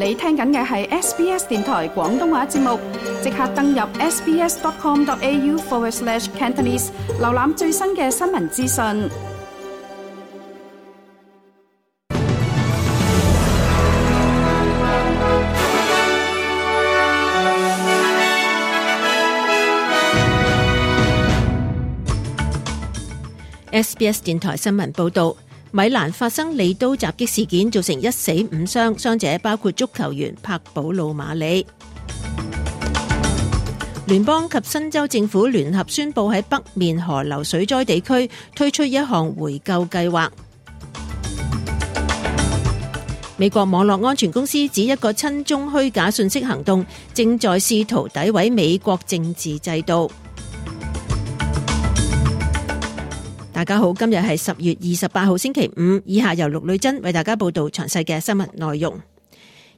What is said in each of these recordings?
你聽緊嘅係 SBS 電台廣東話節目，即刻登入 sbs.com.au/Cantonese 瀏覽最新嘅新聞資訊。SBS 電台新聞報導，米蘭發生利刀襲擊事件，造成1死5傷，傷者包括足球員柏保魯馬里。聯邦及新州政府聯合宣布喺北面河流水災地區推出一項回購計劃。美國網絡安全公司指一個親中虛假信息行動正在試圖詆毀美國政治制度。大家好，今日係10月28號星期五，以下由陸女珍為大家報道詳細嘅新聞內容。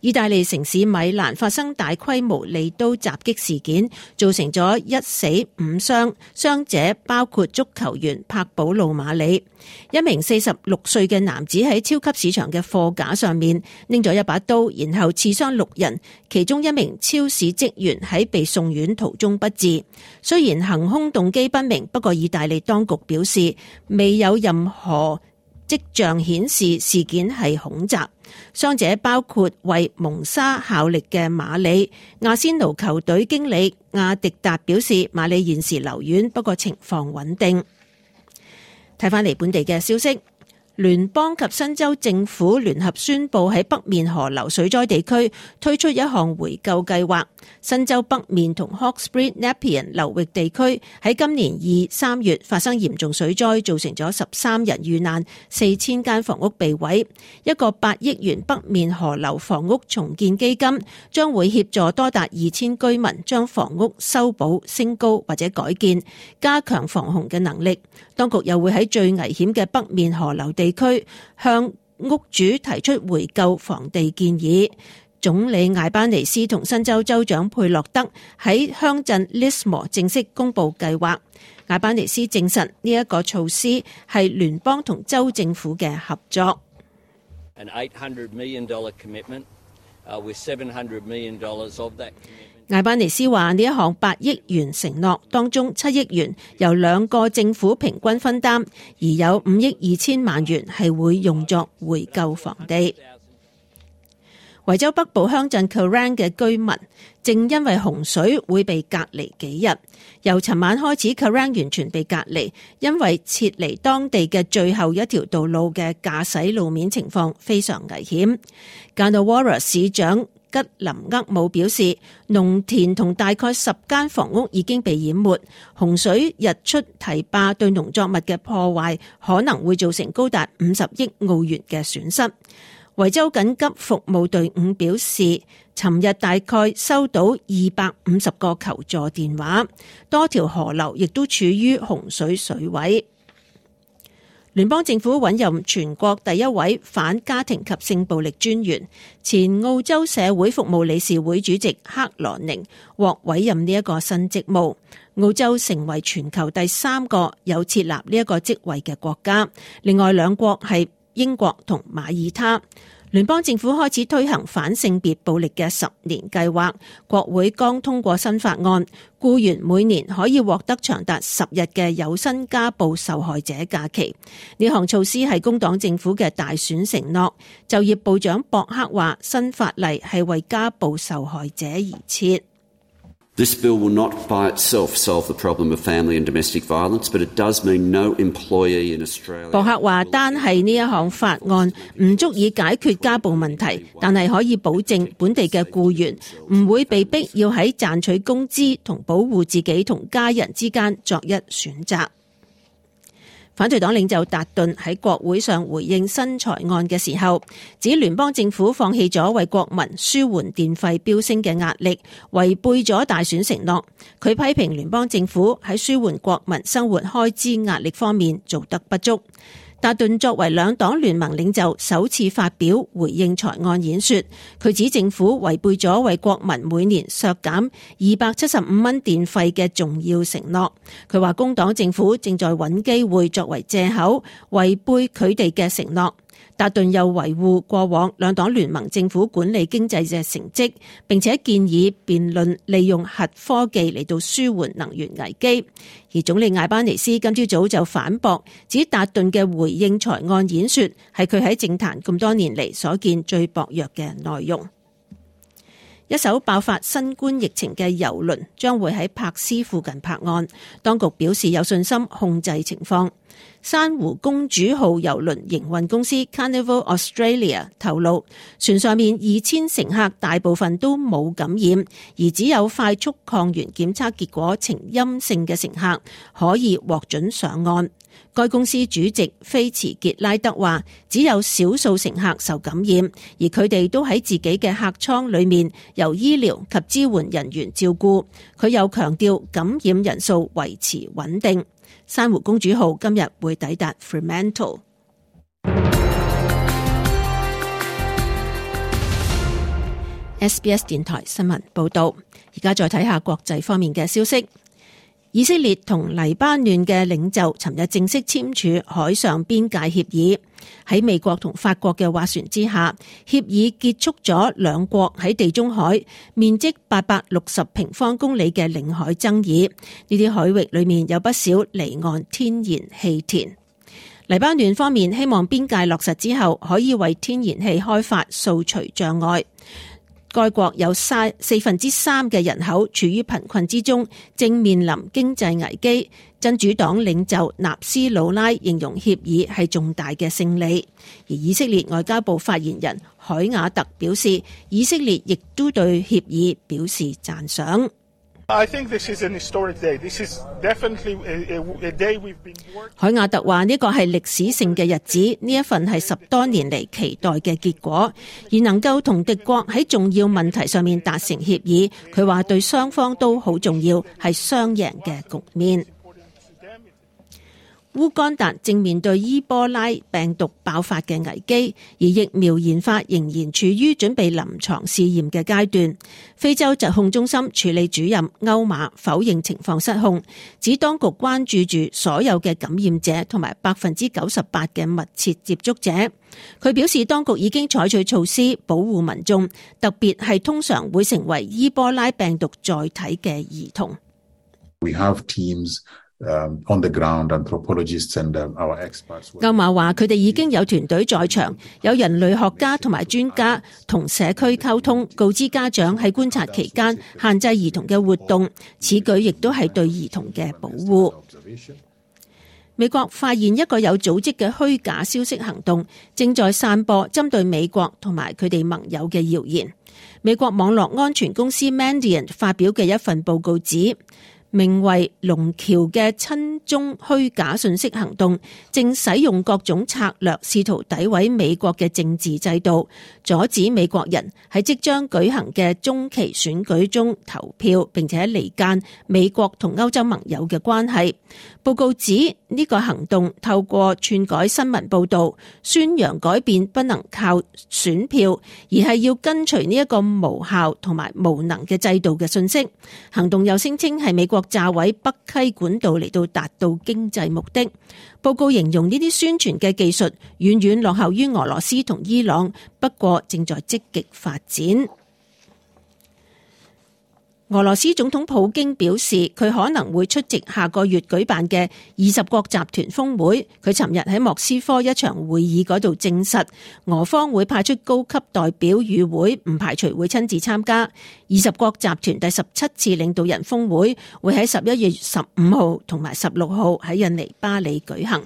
意大利城市米蘭發生大規模利刀襲擊事件，造成咗1死5傷，傷者包括足球員柏保魯馬里。一名46歲嘅男子喺超級市場嘅貨架上面拎咗一把刀，然後刺傷6人，其中一名超市職員喺被送院途中不治。雖然行兇動機不明，不過意大利當局表示未有任何跡象顯示事件係恐襲。傷者包括為蒙沙效力嘅馬里。阿仙奴球隊經理亞迪達表示，馬里現時留院，不過情況穩定。睇返嚟本地嘅消息，聯邦及新州政府聯合宣布喺北面河流水災地區推出一項回購計劃。新州北面同 Hawkesbury、Nepean 流域地區喺今年2、3月發生嚴重水災，造成咗13人遇難，4000間房屋被毀。一個8億元北面河流房屋重建基金將會協助多達2000居民將房屋修補、升高或者改建，加強防洪嘅能力。當局又會喺最危險嘅北面河流地區向屋主提出回購房地建議。總理艾班尼斯同新州州長佩洛德喺鄉鎮 Lismore 正式公布計劃。艾班尼斯證實呢一個措施係聯邦同州政府嘅合作。An $800 million commitment, with $700 million of that commitment. 艾班尼斯話呢一項8億元承諾當中7億元由2個政府平均分擔，而有5億2千萬元係會用作回購房地。維州北部鄉鎮 Kerang 嘅居民正因為洪水會被隔離幾日。由尋晚開始 Kerang 完全被隔離，因為撤離當地嘅最後一條道路嘅駕駛路面情況非常危險。Ganawara 市長吉林厄姆表示，農田同大概10間房屋已經被淹沒，洪水日出堤壩對農作物嘅破壞可能會造成高達50億澳元嘅損失。維州緊急服務隊伍表示，尋日大概收到250個求助電話，多條河流亦都處於洪水水位。聯邦政府委任全國第一位反家庭及性暴力專員，前澳洲社會服務理事會主席克羅寧獲委任呢一個新職務。澳洲成為全球第3個有設立呢一個職位嘅國家，另外2國係英國同馬耳他。聯邦政府開始推行反性別暴力嘅10年計劃，國會剛通過新法案，僱員每年可以獲得長達10日嘅有薪家暴受害者假期。呢項措施係工黨政府嘅大選承諾。就業部長博克話，新法例係為家暴受害者而設。This bill will not by itself solve the problem of family and domestic violence, but it does mean no employee in Australia. 博克話，單係呢一項法案唔足以解決家暴問題，但係可以保證本地嘅僱員唔會被逼要喺賺取工資同保護自己同家人之間作一選擇。反對黨領袖達頓喺國會上回應新財案嘅時候，指聯邦政府放棄咗為國民舒緩電費飆升嘅壓力，違背咗大選承諾。佢批評聯邦政府喺舒緩國民生活開支壓力方面做得不足。達頓作為兩黨聯盟領袖首次發表回應財案演說，佢指政府違背咗為國民每年削減275蚊電費嘅重要承諾。佢話工黨政府正在揾機會作為藉口違背佢哋嘅承諾。達頓又維護過往兩黨聯盟政府管理經濟嘅成績，並且建議辯論利用核科技嚟到舒緩能源危機。而總理艾班尼斯今朝早就反駁，指達頓嘅回應財案演說係佢喺政壇咁多年嚟所見最薄弱嘅內容。一艘爆發新冠疫情嘅郵輪將會喺珀斯附近泊岸，當局表示有信心控制情況。珊瑚公主號郵輪營運公司 Carnival Australia 透露，船上面2000乘客大部分都冇感染，而只有快速抗原檢測結果呈陰性嘅乘客可以獲准上岸。該公司主席菲茨傑拉德話，只有少數乘客受感染，而佢哋都喺自己嘅客艙裏面由醫療及支援人員照顧。佢又強調感染人數維持穩定。珊瑚公主號今日會抵達 Fremantle。SBS 電台新聞報道，而家再睇下國際方面嘅消息。以色列同黎巴嫩嘅領袖尋日正式簽署海上邊界協議，喺美國同法國嘅斡旋之下，協議結束咗兩國喺地中海面積860平方公里嘅領海爭議。呢啲海域裏面有不少離岸天然氣田。黎巴嫩方面希望邊界落實之後，可以為天然氣開發掃除障礙。該國有3/4嘅人口處於貧困之中，正面臨經濟危機。真主黨領袖納斯魯拉形容協議係重大嘅勝利，而以色列外交部發言人海雅特表示，以色列亦都對協議表示讚賞。海雅特話呢個係歷史性嘅日子，呢一份係10多年嚟期待嘅結果，而能夠同敵國喺重要問題上面達成協議，佢話對雙方都好重要，係雙贏嘅局面。烏干達正面對伊波拉病毒爆發嘅危機，而疫苗研發仍然處於準備臨床試驗嘅階段。非洲疾控中心處理主任歐馬否認情況失控，指當局關注住所有嘅感染者同埋98%嘅密切接觸者。佢表示當局已經採取措施保護民眾，特別係通常會成為伊波拉病毒載體嘅兒童。We have teams.On the ground, anthropologists and our experts. 歐馬話：佢哋已經有團隊在場，有人類學家同埋專家同社區溝通，告知家長喺觀察期間限制兒童嘅活動。此舉亦都係對兒童嘅保護。美國發現一個有組織嘅虛假消息行動，正在散播針對美國同埋佢哋盟友嘅謠言。美國網絡安全公司 Mandiant 發表嘅一份報告指，名為龍橋嘅親中虛假信息行動正使用各種策略試圖詆毀美國嘅政治制度，阻止美國人喺即將舉行嘅中期選舉中投票，並且離間美國同歐洲盟友嘅關係。報告指呢個行動透過篡改新聞報導，宣揚改變不能靠選票，而係要跟隨呢一個無效同埋無能嘅制度嘅信息。行動又聲稱係美國炸毀北溪管道嚟到達到經濟目的。報告形容呢啲宣傳嘅技術遠遠落後於俄羅斯同伊朗，不過正在積極發展。俄羅斯總統普京表示，佢可能會出席下個月舉辦嘅20國集團峰會。佢尋日喺莫斯科一場會議嗰度證實，俄方會派出高級代表與會，唔排除會親自參加。20國集團第17次領導人峰會會喺11月15號同埋16號喺印尼巴里舉行。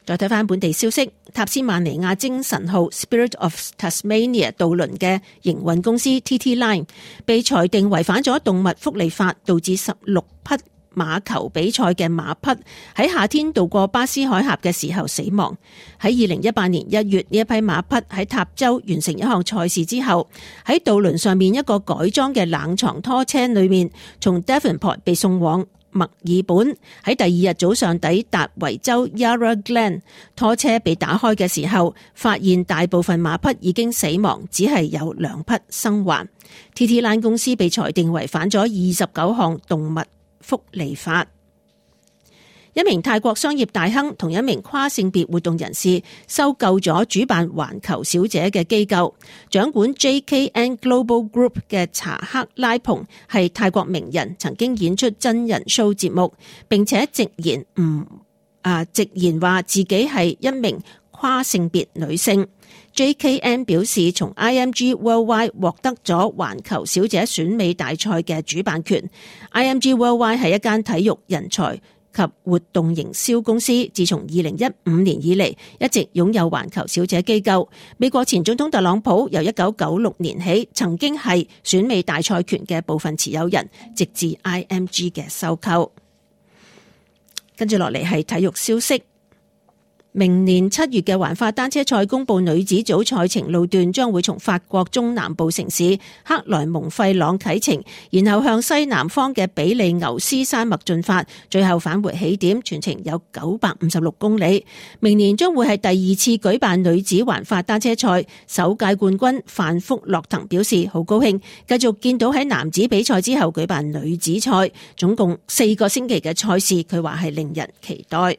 再睇翻本地消息，塔斯曼尼亞精神號 Spirit of Tasmania 渡輪嘅營運公司 TT Line 被裁定違反咗動物福利法，導致16匹馬球比賽嘅馬匹喺夏天渡過巴斯海峽嘅時候死亡。喺2018年1月，呢一批馬匹喺塔州完成一項賽事之後，喺渡輪上面一個改裝嘅冷藏拖車裏面，從 Devonport 被送往墨爾本，喺第二日早上抵達維州 Yarra Glen。 拖車被打開嘅時候，發現大部分馬匹已經死亡，只係有2匹生還。 TT Line 公司被裁定違反咗29項動物福利法。一名泰國商業大亨同一名跨性別活動人士收購咗主辦環球小姐嘅機構，掌管 JKN Global Group 嘅查克拉蓬係泰國名人，曾經演出真人 show 節目，並且直言話自己係一名跨性別女性。JKN 表示，從 IMG Worldwide 獲得咗環球小姐選美大賽嘅主辦權。IMG Worldwide 係一間體育人才及活動營銷公司，自從2015年以嚟一直擁有環球小姐機構。美國前總統特朗普由1996年起曾經係選美大賽權嘅部分持有人，直至 IMG 嘅收購。跟住落嚟係體育消息。明年7月嘅環法單車賽公佈女子組賽程路段將會從法國中南部城市克萊蒙費朗啟程，然後向西南方嘅比利牛斯山脈進發，最後返回起點，全程有956公里。明年將會係第2次舉辦女子環法單車賽，首屆冠軍范福洛騰表示好高興，繼續見到喺男子比賽之後舉辦女子賽，總共4個星期嘅賽事，佢話係令人期待。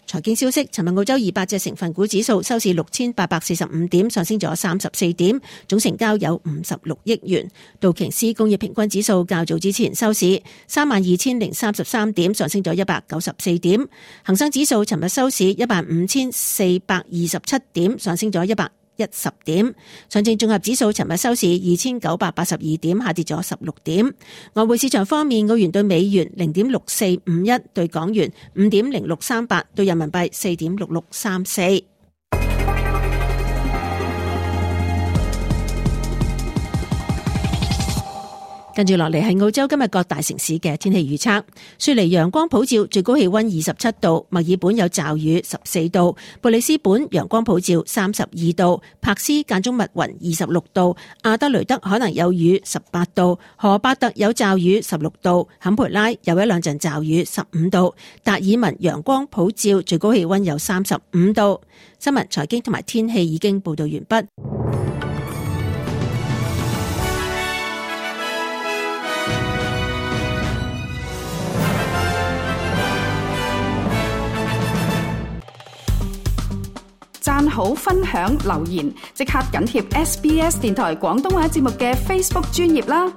財經消息，尋日澳洲200隻成分股指數收市6845點，上升咗34點，總成交有56億元。道瓊斯工業平均指數較早之前收市32033點，上升咗194點。恒生指數尋日收市15427點，上升咗110點。上證綜合指數尋日收市2982點，下跌咗16點。外匯市場方面，澳元對美元0.6451，對港元5.0638，對人民幣4.6634。跟住落嚟係澳洲今日各大城市嘅天氣預測。雪梨陽光普照，最高氣溫27度；墨爾本有驟雨14度；布里斯本陽光普照32度；柏斯間中密雲26度；阿德雷德可能有雨18度；荷伯特有驟雨16度；坎培拉有一兩陣驟雨15度；達爾文陽光普照，最高氣溫有35度。新聞、財經同埋天氣已經報道完畢。讚好、分享、留言，即刻緊貼SBS 電台廣東話節目嘅 Facebook 專頁啦！